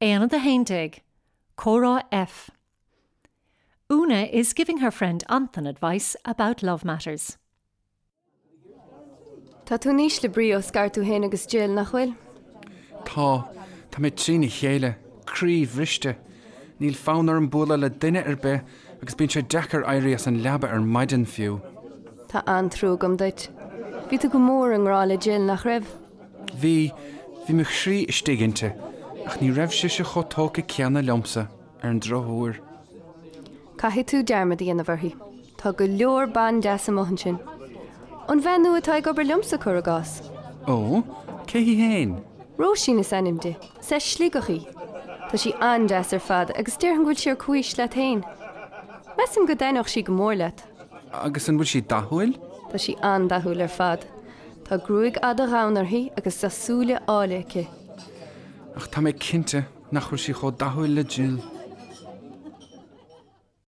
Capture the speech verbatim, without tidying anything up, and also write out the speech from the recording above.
Aonad a haon déag, Comhrá F. Una is giving her friend Anton advice about love matters. Tá tú in ísle brí ó scar tú féin agus Jill nach bhfuil? Tá Tá mé trína chéile, croíbhriste, Níl fonn orm bualadh le duine ar bith agus bíonn sé deacair éirí as an leaba ar maidin fiú. Tá an-trua agam duit. Bhí tú go mór i ngrá le Jill nach raibh? Bhí bhí mo chroí istigh inti, ach ní raibh sise chomh tógtha céanna liomsa ar an drochuair. Caithfidh tú dearmad a dhéanamh uirthi. Tá go leor ban deas amuigh ansin. An bhean nua atá ag obair liomsa cuir i gcás. Ó, cé hí féin? Róisín is ainm di, is as Sligeach í. Tá sí an-deas ar fad agus déarfainn go bhfuil sí ar comhaois leat féin. Measaim go dtaitneodh sí go mór leat. Agus an bhfuil sí dathúil? Tá sí an-dathúil ar fad. Tá gruaig fhada dhonn uirthi agus tá súile áille aici. Ach tá mé cinnte nach bhfuil sí chomh dathúil le Jill.